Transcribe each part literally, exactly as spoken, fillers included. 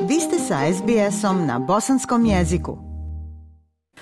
Vi ste sa es be esom na bosanskom jeziku.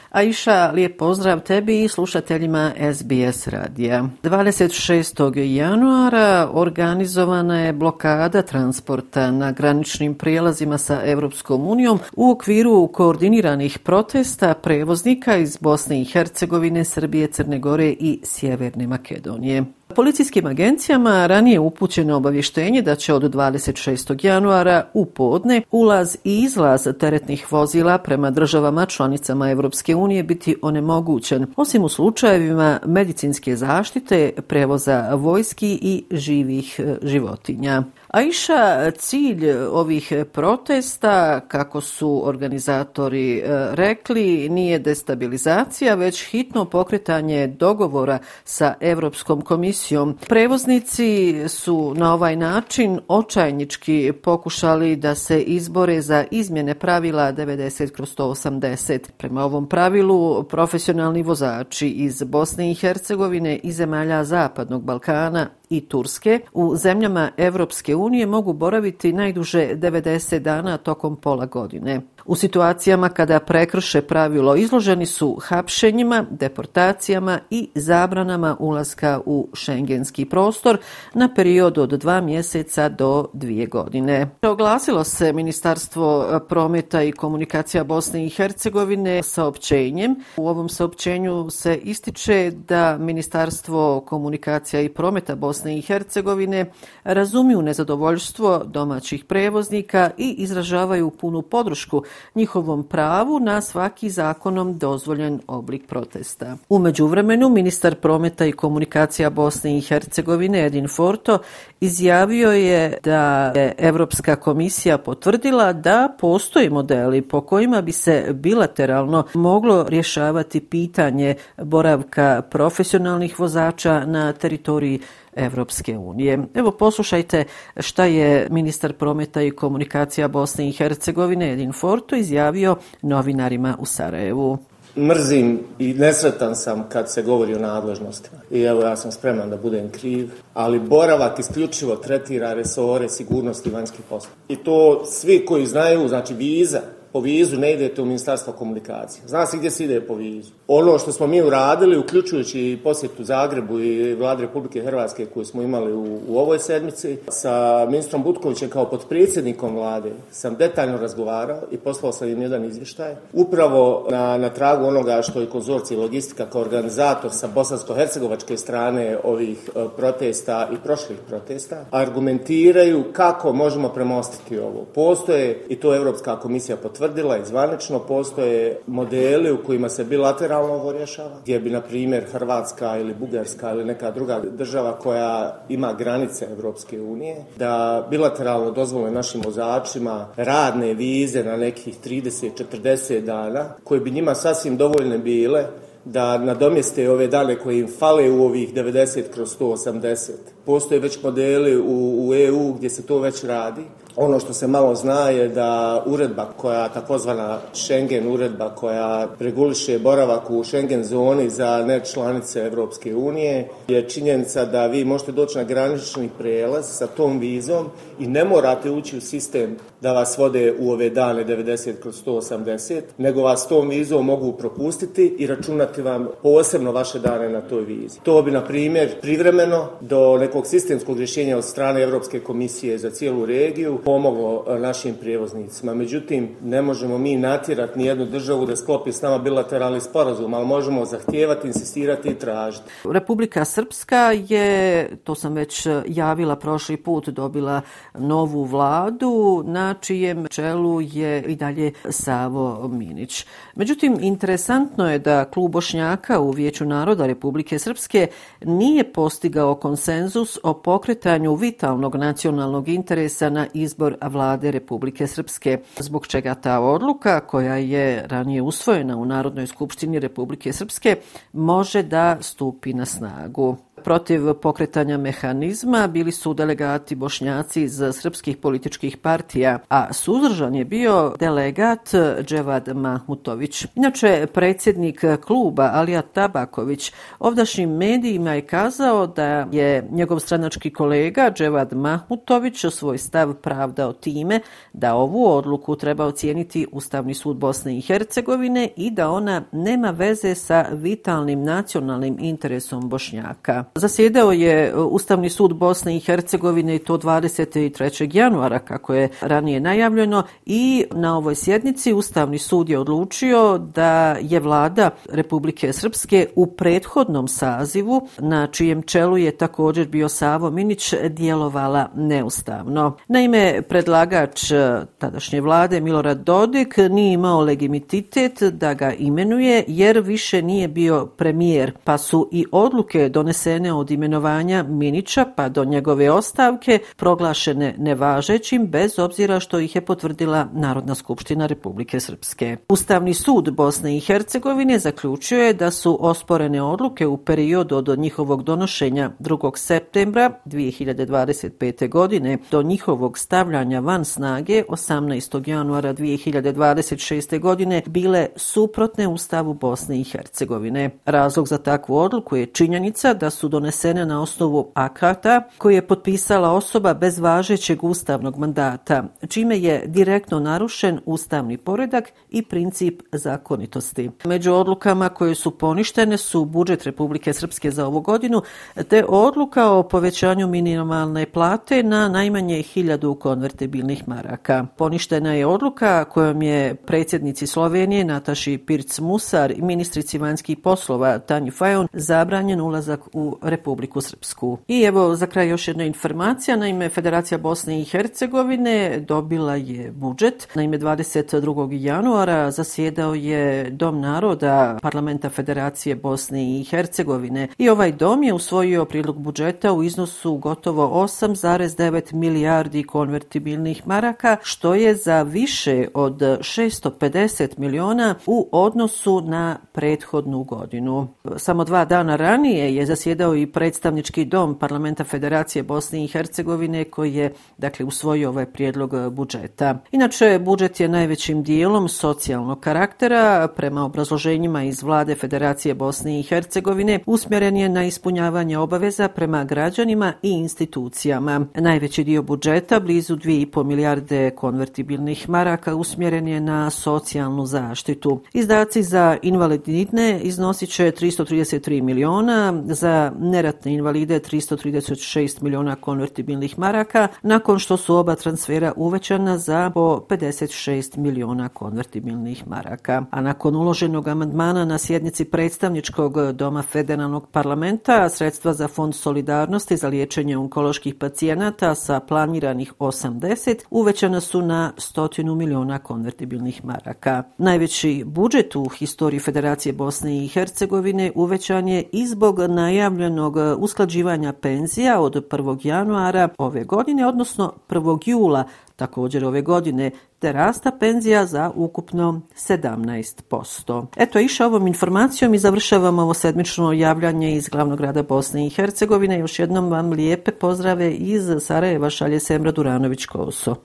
Aisha, lijep pozdrav tebi i slušateljima es be es radija. dvadeset šestog januara organizovana je blokada transporta na graničnim prijelazima sa Europskom unijom u okviru koordiniranih protesta prevoznika iz Bosne i Hercegovine, Srbije, Crne Gore i Sjeverne Makedonije. Policijskim agencijama ranije upućeno obavještenje da će od dvadeset šestog januara u podne ulaz i izlaz teretnih vozila prema državama članicama Europske unije biti onemogućen, osim u slučajevima medicinske zaštite, prevoza vojski i živih životinja. Aisha, cilj ovih protesta, kako su organizatori rekli, nije destabilizacija, već hitno pokretanje dogovora sa Europskom komisijom. Prevoznici su na ovaj način očajnički pokušali da se izbore za izmjene pravila devedeset kroz sto osamdeset. Prema ovom pravilu, profesionalni vozači iz Bosne i Hercegovine i zemalja Zapadnog Balkana i Turske u zemljama Europske unije mogu boraviti najduže devedeset dana tokom pola godine. U situacijama kada prekrše pravilo izloženi su hapšenjima, deportacijama i zabranama ulaska u šengenski prostor na period od dva mjeseca do dvije godine. Oglasilo se Ministarstvo prometa i komunikacija Bosne i Hercegovine saopćenjem. U ovom saopćenju se ističe da Ministarstvo komunikacija i prometa Bosne i Hercegovine razumiju nezadovoljstvo domaćih prevoznika i izražavaju punu podršku njihovom pravu na svaki zakonom dozvoljen oblik protesta. U međuvremenu, ministar prometa i komunikacija Bosne i Hercegovine Edin Forto izjavio je da je Europska komisija potvrdila da postoje modeli po kojima bi se bilateralno moglo rješavati pitanje boravka profesionalnih vozača na teritoriji Evropske unije. Evo, poslušajte šta je ministar prometa i komunikacija Bosne i Hercegovine Edin Forto izjavio novinarima u Sarajevu. Mrzim i nesretan sam kad se govori o nadležnostima. I evo, ja sam spreman da budem kriv, ali boravak isključivo tretira resore sigurnosti i vanjskih poslova. I to svi koji znaju, znači viza, po vizu ne idete u Ministarstvo komunikacije. Zna se gdje se ide po vizu. Ono što smo mi uradili, uključujući posjetu Zagrebu i Vlade Republike Hrvatske koju smo imali u, u ovoj sedmici, sa ministrom Butkovićem kao potpredsjednikom Vlade sam detaljno razgovarao i poslao sam im jedan izvještaj. Upravo na, na tragu onoga što je konzorcij logistika kao organizator sa bosansko-hercegovačke strane ovih e, protesta i prošlih protesta, argumentiraju kako možemo premostiti ovo. Postoje, i to Europska komisija potvrdila, tvrdila i zvanično, postoje modeli u kojima se bilateralno ovo rješava, gdje bi, na primjer, Hrvatska ili Bugarska ili neka druga država koja ima granice Europske unije, da bilateralno dozvole našim vozačima radne vize na nekih trideset do četrdeset dana, koje bi njima sasvim dovoljne bile da nadomjeste ove dane koje im fale u ovih devedeset kroz sto osamdeset. Postoje već modeli u, u E U gdje se to već radi. Ono što se malo zna je da uredba koja, takozvana Schengen uredba koja reguliše boravak u Schengen zoni za nečlanice Europske unije, je činjenica da vi možete doći na granični prijelaz sa tom vizom i ne morate ući u sistem da vas vode u ove dane devedeset kroz sto osamdeset, nego vas tom vizom mogu propustiti i računati vam posebno vaše dane na toj vizi. To bi, na primjer, privremeno do nekog sistemskog rješenja od strane Europske komisije za cijelu regiju pomoglo našim prijevoznicima. Međutim, ne možemo mi natjerati ni jednu državu da sklopi s nama bilateralni sporazum, ali možemo zahtijevati, insistirati i tražiti. Republika Srpska je, to sam već javila prošli put, dobila novu vladu na čijem čelu je i dalje Savo Minić. Međutim, interesantno je da klub Bošnjaka u Vijeću naroda Republike Srpske nije postigao konsenzus o pokretanju vitalnog nacionalnog interesa na izbor vlade Republike Srpske, zbog čega ta odluka, koja je ranije usvojena u Narodnoj skupštini Republike Srpske, može da stupi na snagu. Protiv pokretanja mehanizma bili su delegati Bošnjaci iz srpskih političkih partija, a suzdržan je bio delegat Dževad Mahmutović. Inače, predsjednik kluba Alija Tabaković ovdašnjim medijima je kazao da je njegov stranački kolega Dževad Mahmutović svoj stav pravdao time da ovu odluku treba ocijeniti Ustavni sud Bosne i Hercegovine i da ona nema veze sa vitalnim nacionalnim interesom Bošnjaka. Zasjedao je Ustavni sud Bosne i Hercegovine i to dvadeset trećeg januara, kako je ranije najavljeno, i na ovoj sjednici Ustavni sud je odlučio da je vlada Republike Srpske u prethodnom sazivu, na čijem čelu je također bio Savo Minić, djelovala neustavno. Naime, predlagač tadašnje vlade Milorad Dodik nije imao legitimitet da ga imenuje jer više nije bio premijer, pa su i odluke donesene od imenovanja Minića pa do njegove ostavke proglašene nevažećim bez obzira što ih je potvrdila Narodna skupština Republike Srpske. Ustavni sud Bosne i Hercegovine zaključio je da su osporene odluke u periodu od njihovog donošenja drugog septembra dvije hiljade dvadeset pete. godine do njihovog stavljanja van snage osamnaestog januara dvije hiljade dvadeset šeste. godine bile suprotne Ustavu Bosne i Hercegovine. Razlog za takvu odluku je činjenica da su donesene na osnovu akata koje je potpisala osoba bez važećeg ustavnog mandata, čime je direktno narušen ustavni poredak i princip zakonitosti. Među odlukama koje su poništene su budžet Republike Srpske za ovu godinu te odluka o povećanju minimalne plate na najmanje hiljadu konvertibilnih maraka. Poništena je odluka kojom je predsjednici Slovenije Nataši Pirc-Musar i ministrici vanjskih poslova Tanji Fajon zabranjen ulazak u Republiku Srpsku. I evo za kraj još jedna informacija. Naime, Federacija Bosne i Hercegovine dobila je budžet. Naime, dvadeset drugog januara zasjedao je Dom naroda Parlamenta Federacije Bosne i Hercegovine i ovaj dom je usvojio prijedlog budžeta u iznosu gotovo osam zarez devet milijardi konvertibilnih maraka, što je za više od šesto pedeset miliona u odnosu na prethodnu godinu. Samo dva dana ranije je zasjedao i predstavnički dom Parlamenta Federacije Bosne i Hercegovine koji je dakle usvojio ovaj prijedlog budžeta. Inače, budžet je najvećim dijelom socijalnog karaktera. Prema obrazloženjima iz vlade Federacije Bosne i Hercegovine usmjeren je na ispunjavanje obaveza prema građanima i institucijama. Najveći dio budžeta, blizu dvije i pol milijarde konvertibilnih maraka, usmjeren je na socijalnu zaštitu. Izdaci za invalidne iznosit će tristo trideset tri miliona, za neratne invalide tristo trideset šest miliona konvertibilnih maraka, nakon što su oba transfera uvećana za po pedeset šest miliona konvertibilnih maraka. A nakon uloženog amandmana na sjednici predstavničkog doma federalnog parlamenta, sredstva za Fond solidarnosti za liječenje onkoloških pacijenata sa planiranih osamdeset uvećana su na stotinu miliona konvertibilnih maraka. Najveći budžet u historiji Federacije Bosne i Hercegovine uvećan je i zbog najavljenog usklađivanja penzija od prvog januara ove godine, odnosno prvog jula također ove godine, te rasta penzija za ukupno sedamnaest posto. Eto, iša ovom informacijom i završavamo ovo sedmično javljanje iz glavnog grada Bosne i Hercegovine. Još jednom vam lijepe pozdrave iz Sarajeva šalje Semra Duranović-Koso.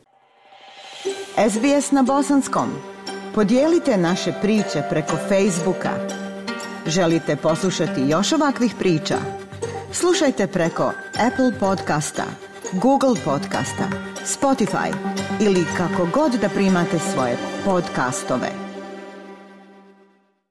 S B S na bosanskom. Podijelite naše priče preko Facebooka. Želite poslušati još ovakvih priča? Slušajte preko Apple podcasta, Google podcasta, Spotify ili kako god da primate svoje podcastove.